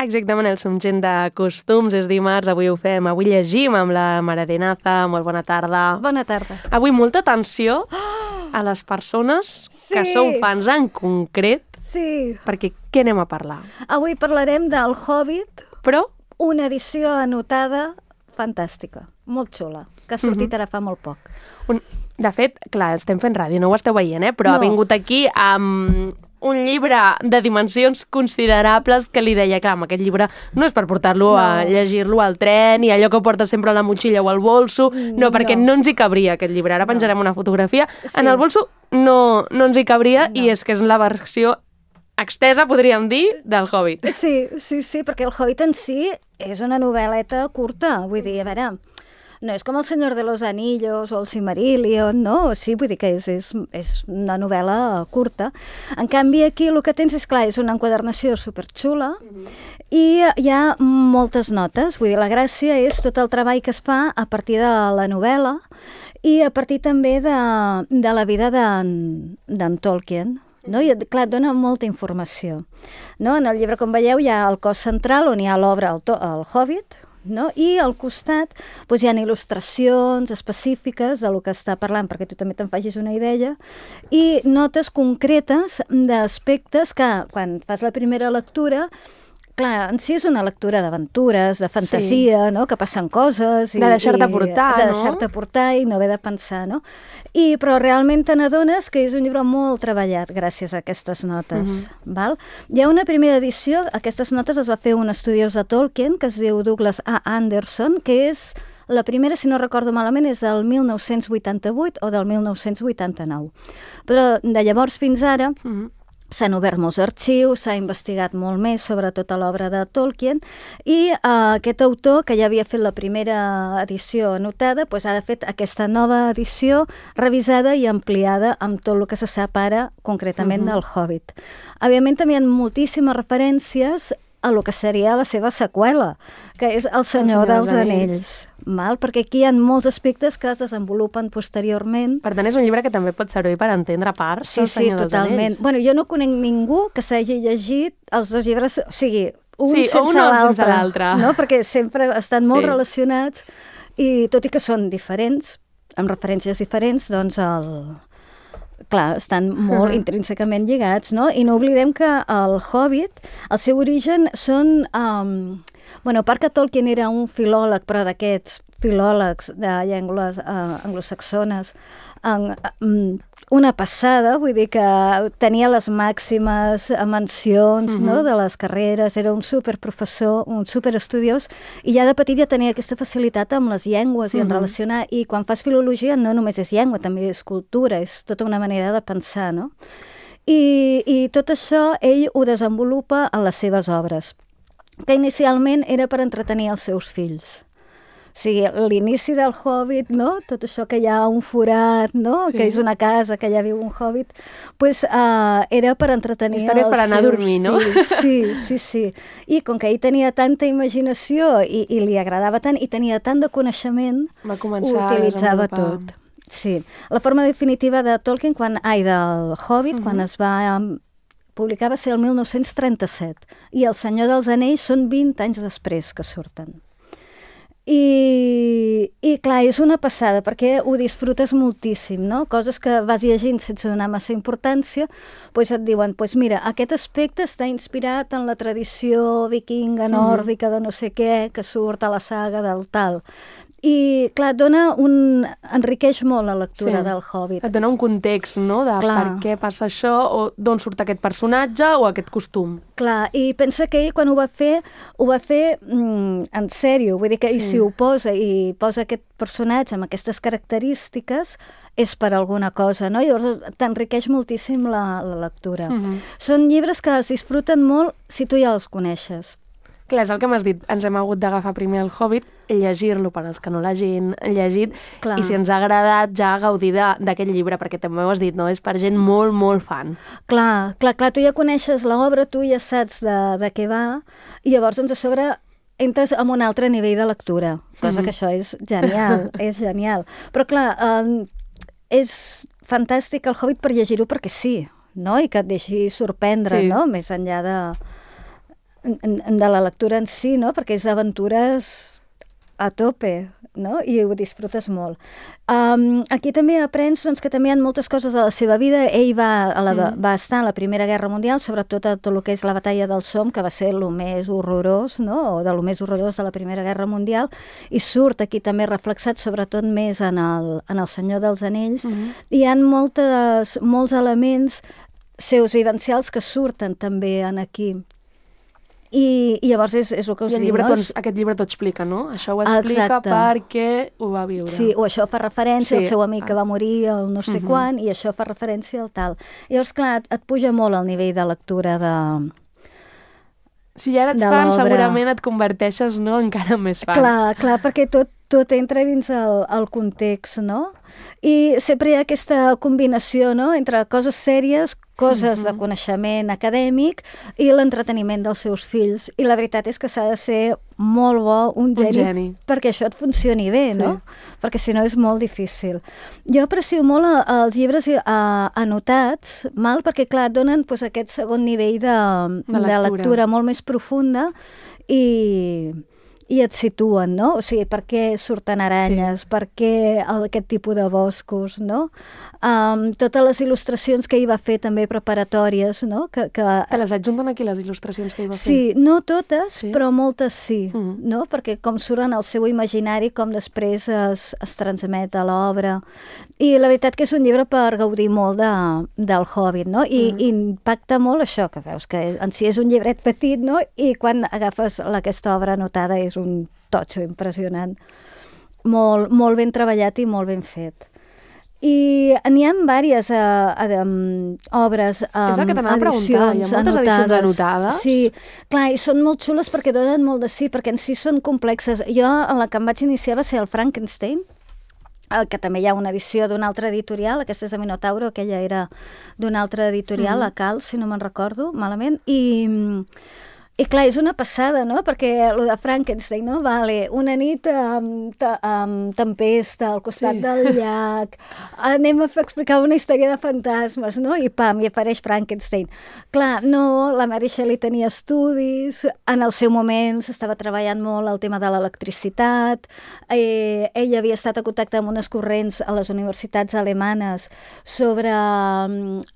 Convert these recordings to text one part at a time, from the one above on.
Exactament, el Som gent de costums, és dimarts, avui ho fem, avui llegim amb la Maradinaza, molt bona tarda. Bona tarda. Avui molta atenció a les persones que sou fans en concret, perquè què anem a parlar? Avui parlarem del Hobbit, però una edició anotada fantàstica, molt xula, que ha sortit ara fa molt poc. De fet, clar, estem fent ràdio, no ho esteu veient, però ha vingut aquí amb un llibre de dimensions considerables que li deia, clar, aquest llibre no és per portar-lo a llegir-lo al tren i allò que porta sempre a la motxilla o al bolso, perquè no ens hi cabria aquest llibre. Ara penjarem una fotografia. En el bolso no ens hi cabria i és que és la versió extesa, podríem dir, del Hobbit. Sí, perquè el Hobbit en si és una novel·leta curta, vull dir, a veure, no és com El Senyor de los Anillos o El Silmarillion, no? Sí, vull dir que és una novel·la curta. En canvi, aquí el que tens és, clar, és una enquadernació superxula i hi ha moltes notes. Vull dir, la gràcia és tot el treball que es fa a partir de la novel·la i a partir també de la vida d'en Tolkien. No? I, clar, dona molta informació. No? En el llibre, com veieu, hi ha el cos central on hi ha l'obra El Hobbit, no? I al costat hi ha il·lustracions específiques de lo que està parlant, perquè tu també te'n facis una idea, i notes concretes d'aspectes que, quan fas la primera lectura, clar, en si és una lectura d'aventures, de fantasia, no? Que passen coses. De deixar-te portar, no? De deixar-te portar i no haver de pensar, no? Però realment te n'adones que és un llibre molt treballat gràcies a aquestes notes. Val? Hi ha una primera edició, aquestes notes les va fer un estudiós de Tolkien, que es diu Douglas A. Anderson, que és la primera, si no recordo malament, és del 1988 o del 1989. Però de llavors fins ara s'han obert molts arxius, s'ha investigat molt més sobre tota l'obra de Tolkien i aquest autor, que ja havia fet la primera edició anotada, ha fet aquesta nova edició revisada i ampliada amb tot el que se sap ara concretament del Hobbit. Òbviament també hi ha moltíssimes referències a lo que seria la seva seqüela, que és El Senyor dels Anells. Perquè aquí hi ha molts aspectes que es desenvolupen posteriorment. Per tant, és un llibre que també pot servir per entendre parts del Senyor dels Anells. Sí, totalment. Bueno, jo no conec ningú que s'hagi llegit els dos llibres, o sigui, un sense l'altre. No? Perquè sempre estan molt relacionats i tot i que són diferents, amb referències diferents, doncs clar, estan molt intrínsecament lligats, no? I no oblidem que el Hobbit, el seu origen són... a part que Tolkien era un filòleg, però d'aquests filòlegs de llengües anglosaxones, una passada, vull dir que tenia les màximes mencions de les carreres, era un superprofessor, un superestudiós, i ja de petit ja tenia aquesta facilitat amb les llengües i en relacionar, i quan fas filologia no només és llengua, també és cultura, és tota una manera de pensar, no? I tot això ell ho desenvolupa en les seves obres, que inicialment era per entretenir els seus fills. O sigui, l'inici del Hobbit, no? Tot això que hi ha un forat, no? Que és una casa, que allà viu un Hobbit, era per entretenir els seus fills. Històries per anar a dormir, no? Sí. I com que ell tenia tanta imaginació i li agradava tant i tenia tant de coneixement, ho utilitzava tot. Sí. La forma definitiva de Tolkien, del Hobbit, quan es va publicar va ser el 1937 i El Senyor dels Anells són 20 anys després que surten. I clar, és una passada perquè ho disfrutes moltíssim, no? Coses que vas llegint sense donar massa importància, et diuen, mira, aquest aspecte està inspirat en la tradició vikinga nòrdica de no sé què, que surt a la saga del tal. I, clar, enriqueix molt la lectura del Hobbit. Et dona un context, no?, de per què passa això, o d'on surt aquest personatge o aquest costum. Clar, i pensa que ell, quan ho va fer en sèrio, vull dir que si ho posa i posa aquest personatge amb aquestes característiques, és per alguna cosa, no? Llavors t'enriqueix moltíssim la lectura. Són llibres que es disfruten molt si tu ja els coneixes. Clar, és el que m'has dit, ens hem hagut d'agafar primer el Hobbit, llegir-lo per als que no l'hagin llegit, i si ens ha agradat ja gaudir d'aquest llibre, perquè també ho has dit, no? És per gent molt, molt fan. Clar, tu ja coneixes l'obra, tu ja saps de què va, i llavors a sobre entres en un altre nivell de lectura, cosa que això és genial, és genial. Però clar, és fantàstic el Hobbit per llegir-ho perquè sí, no? I que et deixi sorprendre, no? Més enllà de la lectura en si, no? Perquè és aventures a tope, no? I ho disfrutes molt. Aquí també aprens doncs, que també hi ha moltes coses de la seva vida. Ell va estar a la Primera Guerra Mundial, sobretot a tot el que és la batalla del Somme, que va ser el més horrorós, no? O de lo més horrorós de la Primera Guerra Mundial, i surt aquí també reflexat, sobretot més en el Senyor dels Anells. Hi ha molts elements seus vivencials que surten també en aquí. I llavors és el que us dic, no? Aquest llibre t'ho explica, no? Això ho explica perquè ho va viure. Sí, o això fa referència al seu amic que va morir el no sé quan, i això fa referència al tal. Llavors, clar, et puja molt el nivell de lectura de si ja eres fan, segurament et converteixes, no?, encara més fan. Clar, perquè tot entra dins el context, no? I sempre hi ha aquesta combinació, no?, entre coses sèries, coses de coneixement acadèmic i l'entreteniment dels seus fills. I la veritat és que s'ha de ser molt bo, un geni, perquè això et funcioni bé, no? Perquè si no és molt difícil. Jo aprecio molt els llibres anotats, perquè clar, et donen aquest segon nivell de lectura molt més profunda i et situen, no? O sigui, per què surten aranyes, per què aquest tipus de boscos, no? Totes les il·lustracions que ell va fer també preparatòries, no? Te les adjunten aquí, les il·lustracions que ell va fer? Sí, no totes, però moltes sí, no? Perquè com surten al seu imaginari, com després es transmet a l'obra. I la veritat que és un llibre per gaudir molt del Hobbit, no? I impacta molt això, que veus que en si és un llibret petit, no? I quan agafes aquesta obra anotada és un totxo impressionant. Molt, molt ben treballat i molt ben fet. I n'hi ha diverses obres, és el que t'anava a preguntar, hi ha moltes edicions anotades? Sí, clar, i són molt xules perquè donen molt de sí, perquè en si són complexes. Jo, en la que em vaig iniciar va ser el Frankenstein, que també hi ha una edició d'una altra editorial, aquesta és de Minotauro, aquella era d'una altra editorial, la Cal, si no me'n recordo malament, i clar, és una passada, no? Perquè el de Frankenstein, no? Vale, una nit amb tempesta al costat del llac, anem a explicar una història de fantasmes, no? I pam, i apareix Frankenstein. Clar, no, la Mary Shelley tenia estudis, en el seu moment s'estava treballant molt el tema de l'electricitat, ella havia estat en contacte amb unes corrents a les universitats alemanes sobre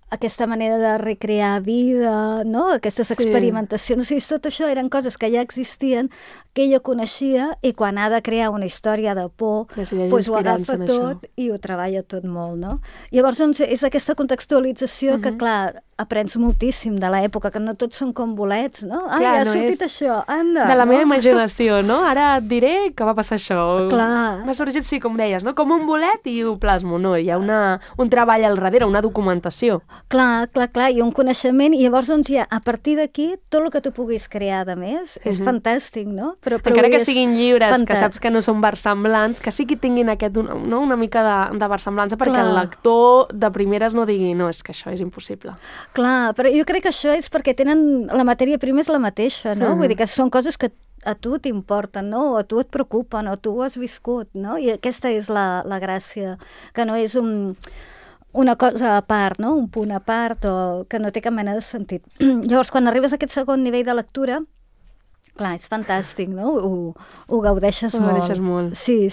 aquesta manera de recrear vida, no? Aquestes experimentacions. O sigui, tot això eren coses que ja existien, que ella coneixia, i quan ha de crear una història de por, doncs ho agafa tot i ho treballa tot molt, no? Llavors, doncs, és aquesta contextualització que, clar, aprens moltíssim de l'època, que no tots són com bolets, no? Ja ha sortit això, anda! De la meva imaginació, no? Ara et diré que va passar això. Clar. M'ha sorgit, sí, com deies, no? Com un bolet i ho plasmo, no? Hi ha un treball al darrere, una documentació. Clar, i un coneixement, i llavors, doncs, ja, a partir d'aquí, tot el que tu puguis crear, de més, és fantàstic, no? Però encara que siguin llibres que saps que no són versemblants, que sí que tinguin una mica de versemblança, perquè el lector de primeres no digui, no, és que això és impossible. Clar, però jo crec que això és perquè tenen la matèria prima és la mateixa, no? Vull dir que són coses que a tu t'importen, no? O a tu et preocupen, o tu ho has viscut, no? I aquesta és la gràcia, que no és una cosa a part, no? Un punt a part, o que no té cap mena de sentit. Llavors, quan arribes a aquest segon nivell de lectura, clar, és fantàstic, no? Ho gaudeixes molt. Ho gaudeixes molt. Sí.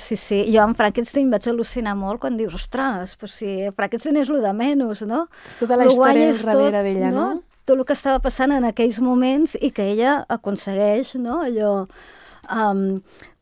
Jo amb Frankenstein vaig al·lucinar molt quan dius, ostres, però si Frankenstein és lo de menys, no? És tota la història darrere d'ella, no? Tot el que estava passant en aquells moments i que ella aconsegueix, no? Allò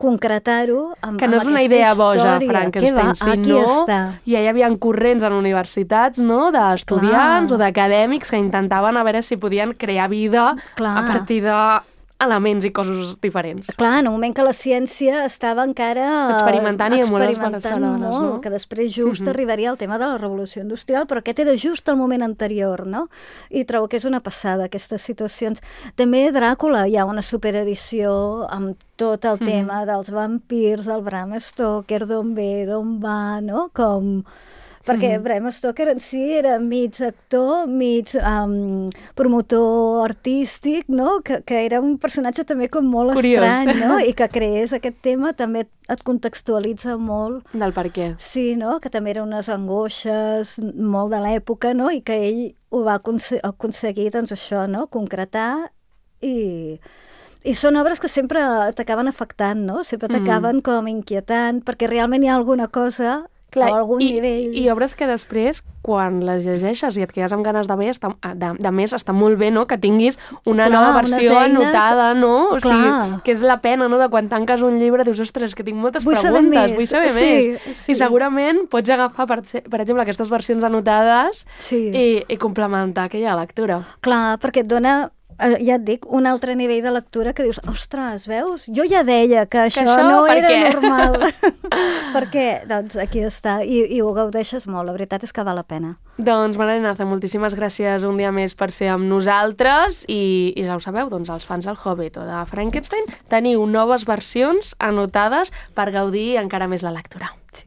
concretar-ho amb que no és una idea boja, Frankenstein, sinó ja hi havia corrents en universitats, no?, d'estudiants o d'acadèmics que intentaven a veure si podien crear vida a partir d'elements i coses diferents. Clar, en un moment que la ciència estava encara experimentant i molt esbarçalades, no? Que després just arribaria el tema de la revolució industrial, però aquest era just el moment anterior, no? I trobo que és una passada, aquestes situacions. També Dràcula, hi ha una superedició amb tot el tema dels vampirs, del Bram Stoker, d'on ve, d'on va, no? Perquè Bram Stoker en si era mig actor, mig promotor artístic, no? Que era un personatge també com molt estrany, no? I que creés aquest tema també et contextualitza molt. Del per què. Sí, no? Que també eren unes angoixes molt de l'època, no? I que ell ho va aconseguir, doncs això, no? Concretar i són obres que sempre t'acaben afectant, no? Sempre t'acaben com inquietant, perquè realment hi ha alguna cosa o algun nivell... I obres que després, quan les llegeixes i et quedes amb ganes de més, està molt bé, no?, que tinguis una nova versió anotada, no? O sigui, que és la pena, no?, de quan tanques un llibre, dius, ostres, que tinc moltes preguntes, vull saber més. I segurament pots agafar, per exemple, aquestes versions anotades i complementar aquella lectura. Clar, perquè et dona... ja et dic, un altre nivell de lectura que dius, ostres, veus? Jo ja deia que això no era normal. Per què? Doncs aquí està, i ho gaudeixes molt, la veritat és que val la pena. Doncs, Maria-Ignacia, moltíssimes gràcies un dia més per ser amb nosaltres i ja ho sabeu, doncs els fans del Hobbit o de Frankenstein teniu noves versions anotades per gaudir encara més la lectura. Sí.